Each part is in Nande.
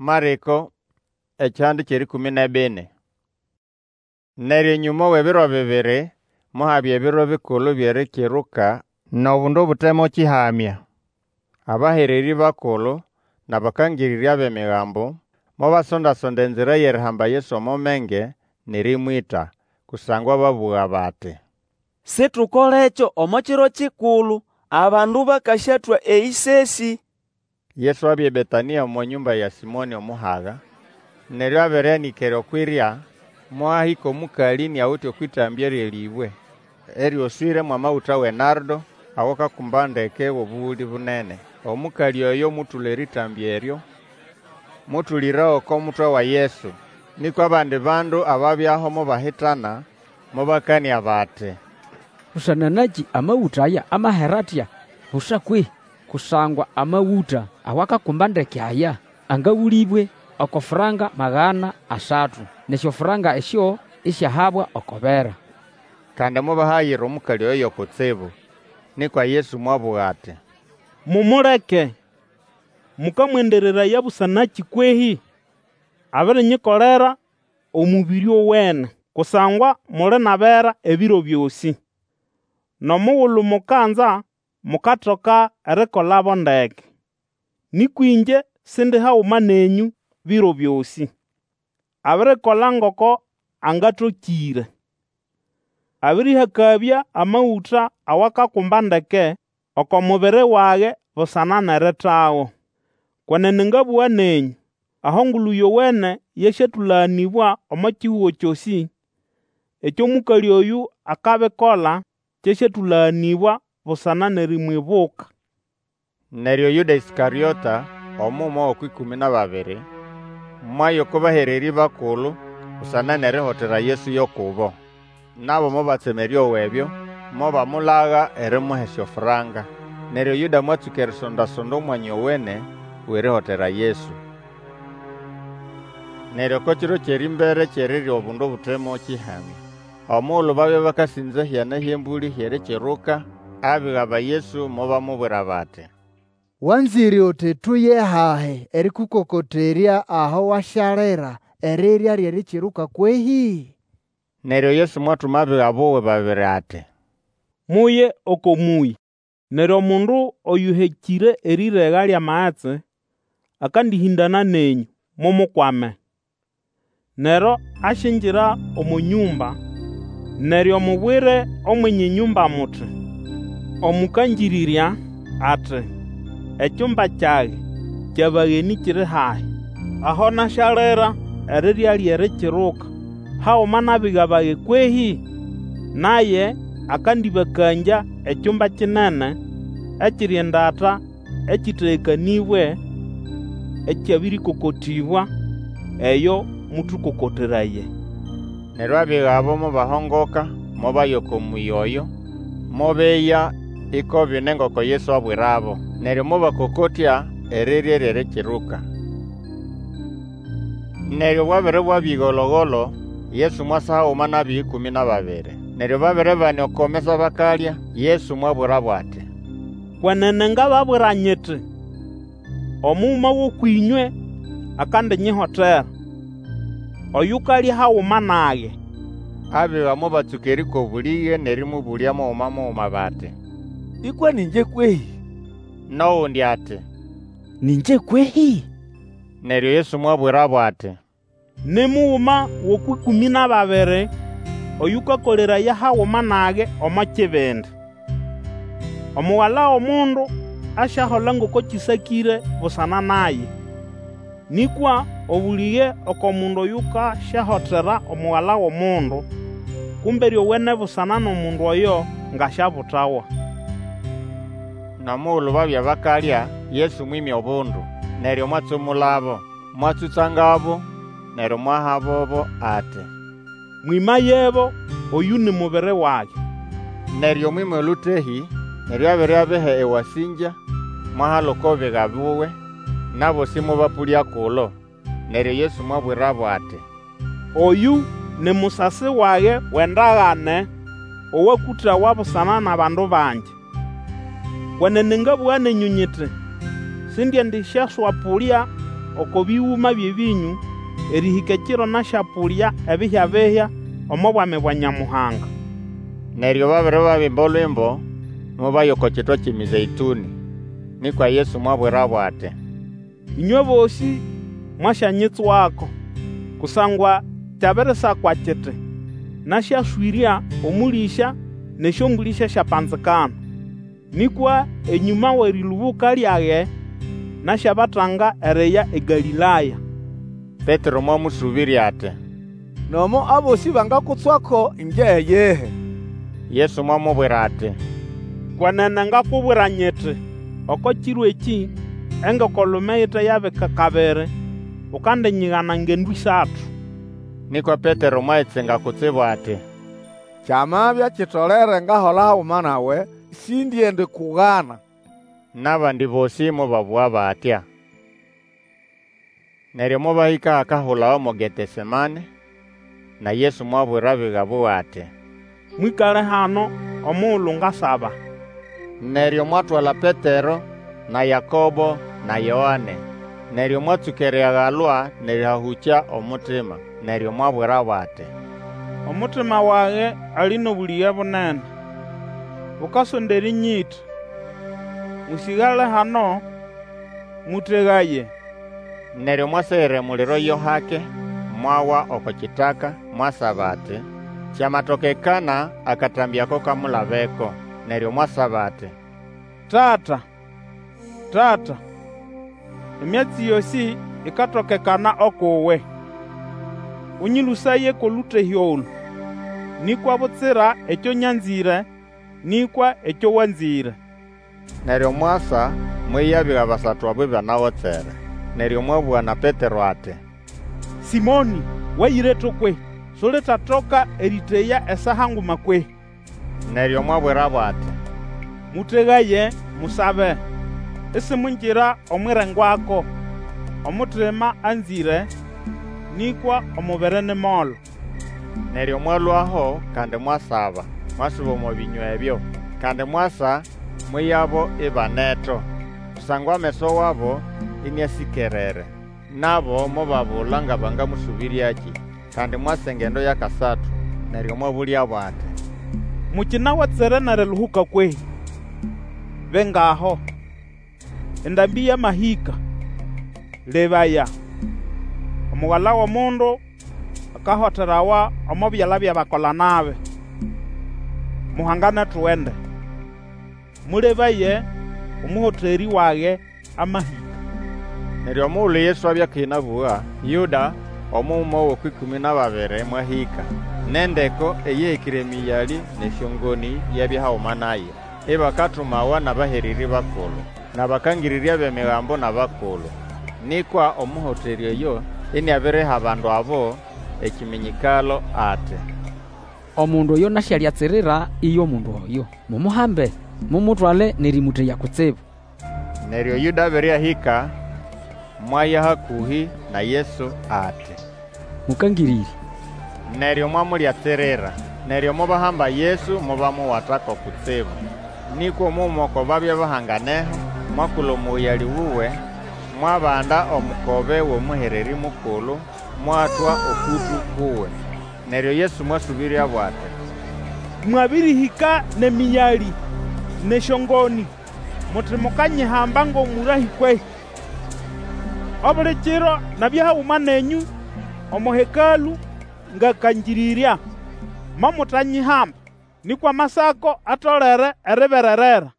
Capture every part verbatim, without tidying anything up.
Marĩko ekihanda ky'erĩkũmĩ n'ebini. Neryo enyũma w'ebiro bibiri mohabya ebiro bikulu by'Erikiruka n'obundu obute mo kĩhamya. Abahererĩ bakulu n'abakangĩrĩrya b'Emigambo mobasonda-sonda enzira y'erihamba Yesu omo menge n'erĩmwĩta. Kusangwa babũga bati, Situkolekyo omo kiro kikulu, abandu bakasyatwa eyĩsesĩ. Yesu abya eBetanĩa omo nyũmba ya Sĩmonĩ Omuhaga. Neryo abere anĩkere okw'irya, mohahĩka omũkalĩ iniawite okw'ĩtambya ly'elĩbwe eryoswĩre mw'amagũta w'enardo, awakakumba ndeke w'obũgũlĩ bunene. Omũkalĩ oyo mũtũla erĩtambya eryo, mũtũlĩrago oko mutwe wa Yesu. Nĩkwa abandi bandu ababyaho mobahitana, mobakanĩa bati, Busana nakĩ amagũta aya amahera atya busa kwehĩ? Kusangwa amagũta awakakumba ndeke aya angagũlĩbwe oko franga magana asatu, n'esyofranka esyo isyahabwa oko bera. Kandi mobahayira omũkalĩ oyo yo kutsibu. Nĩkwa Yesu mwabũga ati, Mumuleke! Mũkamwendereraya busanakĩ kwehĩ? Abirinyikolera omũbĩrĩ owene. Kusangwa muli n'abera ebiro byosĩ, n'omugulu mukanza mukatoka erikolabo ndeke. Nĩkwa ĩngye Sindi haguma nenyũ biro byosĩ. Abirikola ngoko angatokĩre. Abĩrĩhakabya amagũta awakakumba ndeke oko mubiri wage busana n'eritago. Kwenene ngabũga nenyũ, aho Engulu Yowene yasyatũlaganĩbwa omo kihugo kyosĩ, ekyo mũkalĩ oyũ akabikola kyasyatũlaganĩbwa busana n'erimwibuka. Neryo Yũda Ĩskarĩota, omuguma g'okw'ĩkũmĩ n'ababiri, mwaya oko bahererĩ bakulu busana n'erihotera Yesu yo kubo. Nabo mobatsema erĩowa ebyo, mobamulaga erimuha esyofranka. Neryo Yuda mwatsũka erisonda-sonda omwanya owene w'erihotera Yesu. Neryo oko kiro ky'erĩmbere ky'erirya obundu obute mo kĩhamya, omugulu babya bakasĩnza ehyana hy'embũlĩ hy'Erikiruka, abiga ba Yesu mobamubwira bati, Wanzĩre uti tuye hahi erĩkũkokoterya aho wasyalira erirya ly'Erikiruka kwehĩ? Neryo Yesu mwatuma abiga buwe babiri ati, Muye oko mũyĩ, neryo omundu oyũhekĩre erĩrega ly'amagetsi akandĩhĩndana nenyũ, mumukwame. Neryo asyingira omo nyũmba, neryo mubwire omwenye nyũmba muti, Omũkangĩrĩrya ati, Ekyumba kyage ky'abagenĩ kiri hahi, aho nasyalira erirya ly'Erikiruka haguma n'abiga bage kwehĩ? Naye akandĩbakangya ekyumba kinene ekiri endata ekĩtegekanĩbwe, ekyabĩrĩkokotĩbwa, eyo mũtũkokoteraye. Neryo abiga abo mobahongoka, mobaya oko mũyĩ oyo, mobeya iko bine ngoko Yesu abwirabo. Neryo mobakokotya erirya ly'Erikiruka. Neryo bwabere bwabya ĩgolo-golo, Yesu mwasa haguma n'abiga ĩkũmĩ n'ababiri. Neryo babere bane oko mesa bakalya, Yesu mwabwirabo ati, Kwenene ngababwira nyiti, Omuguma g'ũkw'ĩnywe akandinyihotera, oyukalya haguma nage. Abiga mobatsũka erĩkwa obũlĩge n'erĩmũbũlya muguma muguma bati, Nĩkwa ni ĩngye kwehĩ? N'ogundi ati, Nĩ ĩngye kwehĩ? Neryo Yesu mwabwirabo ati, Ni muguma g'okw'ĩkũmĩ n'ababiri, oyũkakoleraya haguma nage omo kibindi. Omugala w'Omundu asyahola ngoko kĩsakĩre busana naye. Nĩkwa obũlĩge oko mundu oyukasyahotera Omugala w'Omundu! Kumbe lyowene busana n'omundu oyo ng'asyabutawa. N'omugulu babya bakalya, Yesu mwĩmya obundu, neryo mwatsumulabo, mwatsũtsangabo, neryo mwahabobo ati, Mwĩmayebo, oyũ ni mubiri wage. Neryo mwĩma olũtehĩ, neryo abere abiha ewasĩngya, mwahala oko biga buwe, n'abosĩ mobapũlya kulo. Neryo Yesu mwabwirabo ati, Oyũ ni musasi wage w'endagane owakũtawa busana n'abandu bangi. Kwenene ngabũga nenyũ nyiti, Sindiendisyaswapũlya oko bĩgũma by'ebĩnyũ erĩhĩka ekiro nasyapũlya ebihya-bihya omo Bwami bwa Nyamuhanga. Neryo babere babimba olwimbo, mobaya oko kitwa ky'eMĩzeĩtũnĩ. Nĩkwa Yesu mwabwirabo ati, Ĩnywe bosĩ mwasyanyitswako, kusangwa kyabirisakwa kiti, Nasyaswĩrya omũlĩsya, n'esyombũlĩ syasyapanzikana. Nĩkwa enyũma w'erĩlũbũka lyage, nasyabatanga eriya eGalĩlaya. Petero mwamũsũbĩrya ati, Nomo abosĩ bangakutswako, ĩngye iyihi. Yesu mwamubwira ati, Kwenene ngakubwira nyiti, Oko kiro ekĩ, engoko-lume ite yabika kabiri, ukandinyigana ngendo ĩsatu. Nĩkwa Petero mwayitsinga kutsibu ati, Kyamabya kitolere ngahola haguma nawe, sindiendikugana. N'abandi bosĩ mobabũga batya. Neryo mobahĩka ahakahulawa mo Getesemane, na Yesu mwabwira abiga buwe ati, Mwĩkale hano omugulu ngasaba. Neryo mwatwala Petero, na Yakobo, na Yoane. Neryo mwatsũka eriagalwa n'erĩhahũkya omutima. Neryo mwabwirabo ati, Omutima wage ali n'obũlĩge bunene, bukasonda erĩnyĩta. Mũsĩgale hano, mũtegaye. Neryo mwasegera emuliro yo hake, mwawa oko kitaka, mwasaba ati, kyamatokekana akatambĩ ako kamulabeko. Neryo mwasaba ati, Tata, Tata, emyatsi yosĩ ikatokekana uk'uwe. Ũnyĩlũsaye kw'olũtehĩ olũ. Nĩkwa butsira ekyo nyanzĩre, nĩkwa ekyo wanzĩre. Neryo mwasa mweya abiga basatu abo ibanagotsere. Neryo mwabũga na Petero ati, Sĩmonĩ, wayireto kwehĩ? Sulitatoka erĩteya esaa nguma kwehĩ? Neryo mwabwirabo ati, Mũtegaye, musabe, isimwingira omw'irengwako. Omutima anzĩre, nĩkwa omubiri ni molo. Neryo mwalũaho kandi mwasaba, mwasuba omo bĩnywa ebyo. Kandi mwasa mweyabo ibaneto, kusangwa ameso wabo ĩnĩasĩkerere. Nabo mobabula nga bangamũsũbĩryakĩ. Kandi mwasa engendo y'akasatu, neryo mwabũlyabo ati, Mukinagotsere n'eriluhuka kwehĩ? Bingaho, endambĩ yamahĩka. Lebaya, Omugala w'Omundu akahoterawa omo byala by'abakola-nabi. Muhangane tugende. Mũlebaye, omũhoterĩ wage amahĩka. Neryo omugulu Yesu abya akinabũga, Yũda, omuguma g'okw'ĩkũmĩ n'ababiri mwahĩka, n'endeko eyĩhekĩre emĩyalĩ n'esyongonĩ yabya haguma naye, ibakatumawa n'abahererĩ bakulu, n'abakangĩrĩrya b'Emigambo n'abakulu. Nĩkwa omũhoterĩ oyo iniabiriha abandu abo ekiminyikalo ati, Omundu oyo nasyalyatsirira iyo mundu oyo. Mumuhambe, mumutwale n'erĩmũteya kutsibu. Neryo Yuda abere ahĩka, mwaya hakũhĩ na Yesu ati, Mũkangĩrĩrya. Neryo mwamulyatsirira. Neryo mobahamba Yesu mobamuwatako kutsibu. Nĩkwa omuguma oko babya bahanganeho mwakũla omũyalĩ wuwe, mwabanda omukobe w'omũhererĩ mukulu, mwatwa okũtũ kuwe. Neryo Yesu mwasũbĩryabo ati, Mwabĩrĩhĩka n'emĩyalĩ n'esyongonĩ, muti mukanyihamba ng'omũrahĩ kwehĩ? Obuli kiro nabya haguma nenyũ omo Hekalũ ngakangĩrĩrya, momutanyihamba. Nĩkwa Amasako atolere eribererera.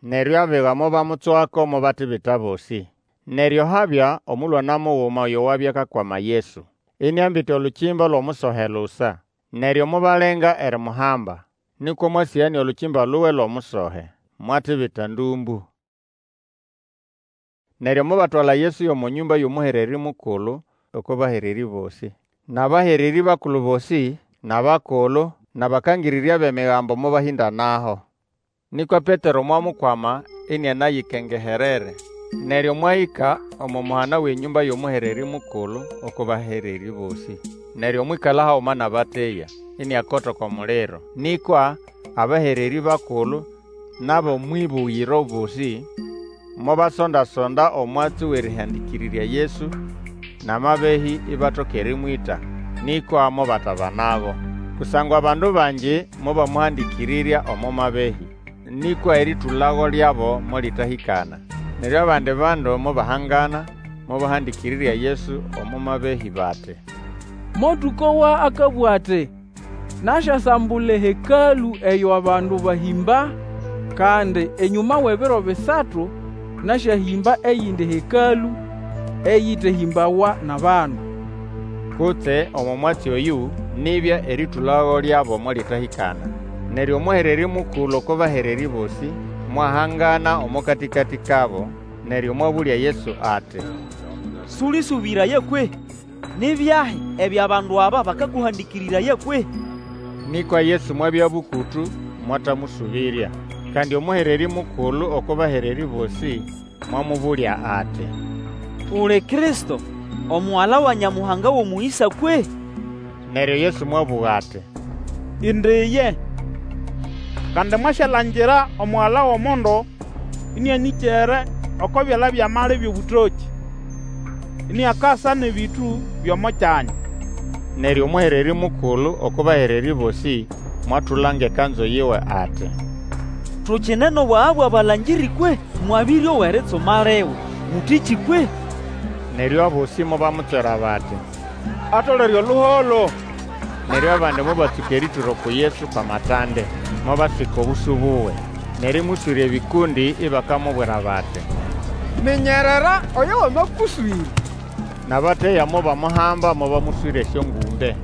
Neryo abiga mobamutswako mobatibita bosĩ. Neryo habya omũlwana muguma oyo wabya akakwama Yesu, iniambite olukimba lw'omusohe lusa. Neryo mobalenga erimuhamba. Nĩkwa mwasĩganĩa olukimba luwe lw'omusohe, mwatibita ndũmbũ. Neryo mobatwala Yesu y'omo nyũmba y'omũhererĩ mukulu oko bahererĩ bosĩ. N'abahererĩ bakulu bosĩ, n'abakulu, n'abakangĩrĩrya b'Emigambo mobahĩndanaho. Nĩkwa Petero mwamukwama inianayikengeherere. Neryo mwahĩka omo muhana w'enyũmba y'omũhererĩ mukulu oko bahererĩ bosĩ. Neryo mwĩkala haguma n'abateya, iniakota oko muliro. Nĩkwa abahererĩ bakulu n'ab'omw'ĩbũgĩro bosĩ Mobasonda-sonda omwatsi w'erĩhandĩkĩrĩrya Yesu n'amabehĩ ibatoka erĩmwĩta, nĩkwa mobatabanago. Kusangwa abandu bangi mobamũhandĩkĩrĩrya omo mabehĩ, nĩkwa erĩtũlago lyabo molĩtahĩkana. Neryo abandi bandu mobahangana, mobahandĩkĩrĩrya Yesu omo mabehĩ bati, Motũkowa akabũga ati, Nasyasambula eHekalũ eyo abandu bahĩmba, kandi enyũma w'ebiro bisatu nasyahĩmba eyindi Hekalũ eyĩtehĩmbawa n'abandu. Kutse omo mwatsi oyũ, nibya erĩtũlago lyabo molĩtahĩkana. Neryo omũhererĩ mukulu oko bahererĩ bosĩ mwahangana omo katĩkatĩ kabo, neryo mwabũlya Yesu ati, Sũlĩsũbĩraya kwehĩ? Ni byahi ebyo abandu aba bakakũhandĩkĩrĩraya kwehĩ? Nĩkwa Yesu mwabya bũkũtũ, mwatamũsũbĩrya. Kandi omũhererĩ mukulu oko bahererĩ bosĩ mwamũbũlya ati, Uli Kristo, Omugala wa Nyamuhanga w'omũyĩsa kwehĩ? Neryo Yesu mwabũga ati, Indi iye. Kandi mwasyalangira Omugala w'Omundu ĩnĩanĩkere oko byala by'amali by'obũtokĩ, iniakasa n'ebĩtũ by'omo kyanya. Neryo omũhererĩ mukulu oko bahererĩ bosĩ mwatulanga ekanzu yiwe ati, Tukine n'obwaga bw'abalangĩrĩ kwehĩ? Mwabĩrĩowa eritsuma liwe. Mũtĩkĩ kwehĩ? Neryo abosĩ mobamutswera bati, Atolere oluholo! Neryo abandi mobatsũka erĩtũra uku Yesu kw'amatande, mobaswika obũsũ buwe, n'erĩmũswĩra ebĩkũndĩ ibakamubwira bati, Minyerera oyo wamakũswĩra! N'abateya mobamuhamba mobamũswĩra esyongũmbe.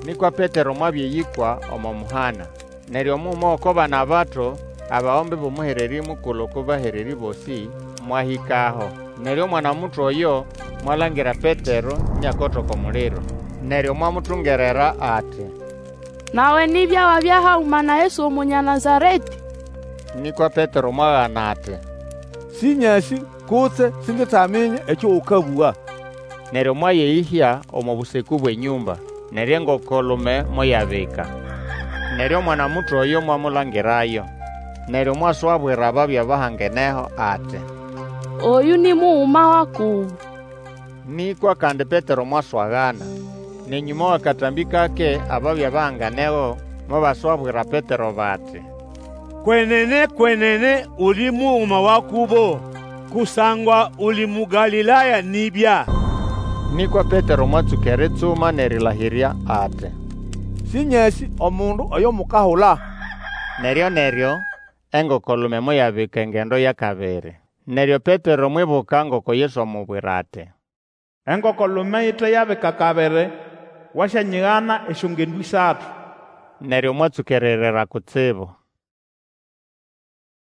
Nĩkwa Petero mwabya eyĩkwa omo muhana. Neryo omuguma g'oko bana bato, abagombe b'omũhererĩ mukulu oko bahererĩ bosĩ, mwahĩkaho. Neryo omwana-muto oyo mwalangira Petero iniakota oko muliro. Neryo mwamutungerera ati, Nawe nibya wabya haguma na Yesu Omunya Nazaretĩ. Nĩkwa Petero mwagana ati, Sĩnyasĩ kutse sinditaminya ekyo ũkabũga. Neryo mwayeyĩhya omo bũsekũ bw'enyũmba, neryo engoko-lume moyabika. Neryo omwana-muto oyo mwamulangirayo. Neryo mwaswabwira ababya bahangeneho ati, Oyũ ni muguma wa kubo. Nĩkwa kandi Petero mwaswagana. N'enyũma w'akatambĩ kake ababya bahanganego mobaswabwira Petero bati, Kwenene, kwenene uli muguma wa kubo, kusangwa uli Mũgalĩlaya nibya. Nĩkwa Petero mwatsũka eritsuma n'erĩlahĩrya ati, Sĩnyasĩ omundu oyo mukahula. Neryo-neryo engoko-lume moyabika engendo y'akabiri. Neryo Petero mwibuka ngoko Yesu amubwira ati, Engoko-lume ite yabika kabiri, wasyanyigana esyongendo isatu. Neryo mwatsũka eririra kutsibu.